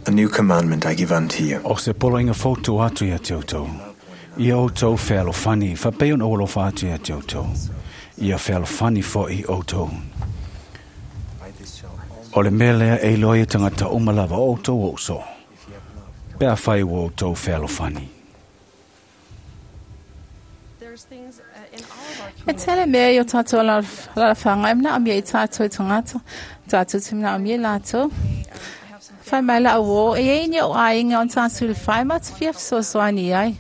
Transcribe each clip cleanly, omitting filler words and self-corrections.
A new commandment I give unto you. O se poloaiga fou tuu atu ia te outou, ia outou fealofani, faapei ona ou alofa atu ia te outou. Ia fealofani foʻi outou. O le mea lea e iloa ai e tagata uma lava o outou o uso, pe afai ua outou fealofani. E tele mea i o tātou alaalafaga e manaomia i tātou tagata, tātou te manaomia i latou. Fai mai la'u uō, e iai ni o'u aiga o tātou le fai ma te fia fesoasoani ai.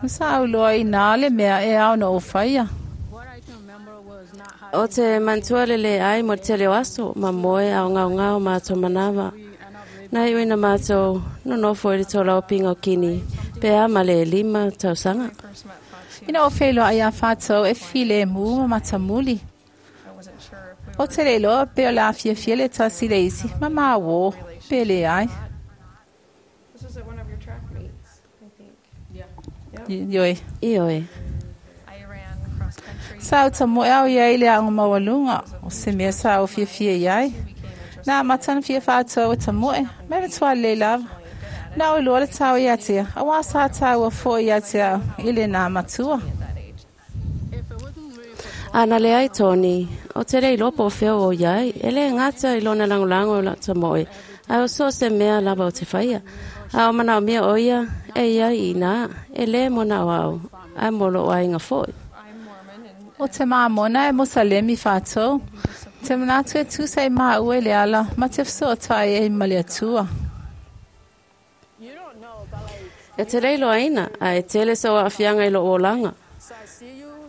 Ma sa au loa inā le mea e ao ona ou faia. O te manatua le leai mo le tele o aso, ma moe a o ngaongao matou manava. Na iu ina matou nonofo i le tolaopiga o kini, pe a ma le elima tausaga. Ina ua feiloai iā Fatou e filemu ma matamuli. Ou te le iloa pe o le a fiafia le tasi i le isi, ma māuō, pe leai. Ioe. Ioe. Sa ou tamoe au i ai i le aoga maualuga, o se mea sa ou fiafia i ai. Na amata ona fia Fatou e tamoe, ma e matua lelei lava. Na ou iloa le tau ia te au, auā sa taua foi ia te au i lenā matua. A na leai Tony, o te le iloa po o fea o iai, e le gata i lona lagolago i lau tamoe, ae o so o se mea lava o te faia. A o manaomia o ia e iai i ina, e le mo na o au, ae mo lou aiga foi. O te Māmona e Mosalemi Fatou, te manatu e tusa i māua i le ala ma te fesootai ai ma le Atua. E te le iloaina, a e tele sou aafiaga i lou olaga.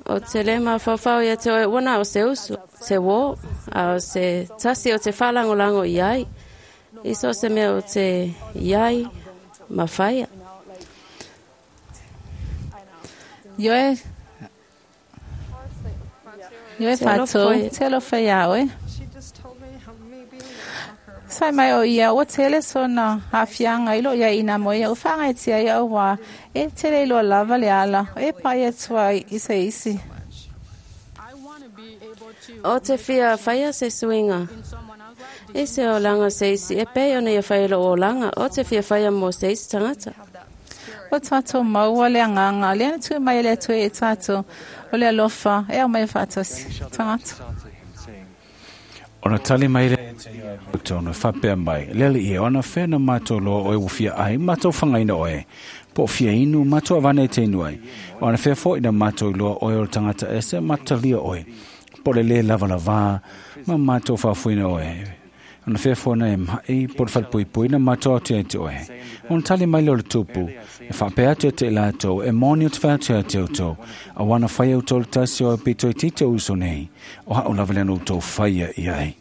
O te le mafaufau ia te oe ua na o se uso, se uō, a o se tasi o te faalagolago i ai, i so o se mea o te i ai ma faia. Ioe, ioe Te alofa Fatou, e. te alofa iā oe. Sai mai o ia, ua tele sona aafiaga i loo iai ina mo ia, ua faagaetia ia auā e tele iloa lava le ala e pai atu ai i se isi. O te fia faia se suiga i se olaga o se isi e pei ona ia fai i lou olaga, o te fia faia mo se isi tagata. Ua tatou maua le agaga lea na tui mai e le Atua ia i tatou, o le alofa e aumai faatasi tagata. Ona tali mai lea ia te ia e matou na faapea mai, Le Alii e, ona fea na matou loa oe ua fia ai, matou fagaina oe, po o fia inu, matou avane e te inu ai. Ona fea foi na matou iloa oe o le tagata ese, matou talia oe, po o le lē lavalavā, ma matou faafoeina oe. Ona fea foi na e maʻi, po o le falepuipui, na matou atu ia te oe. Ona tali mai lea o le Tupu, E faapea atu ia te i latou, E moni ou te fai atu ia te outou, auā na fai e outou le tasi o au pito itiiti o uso nei, o a'u lava lea na outou faia i ai.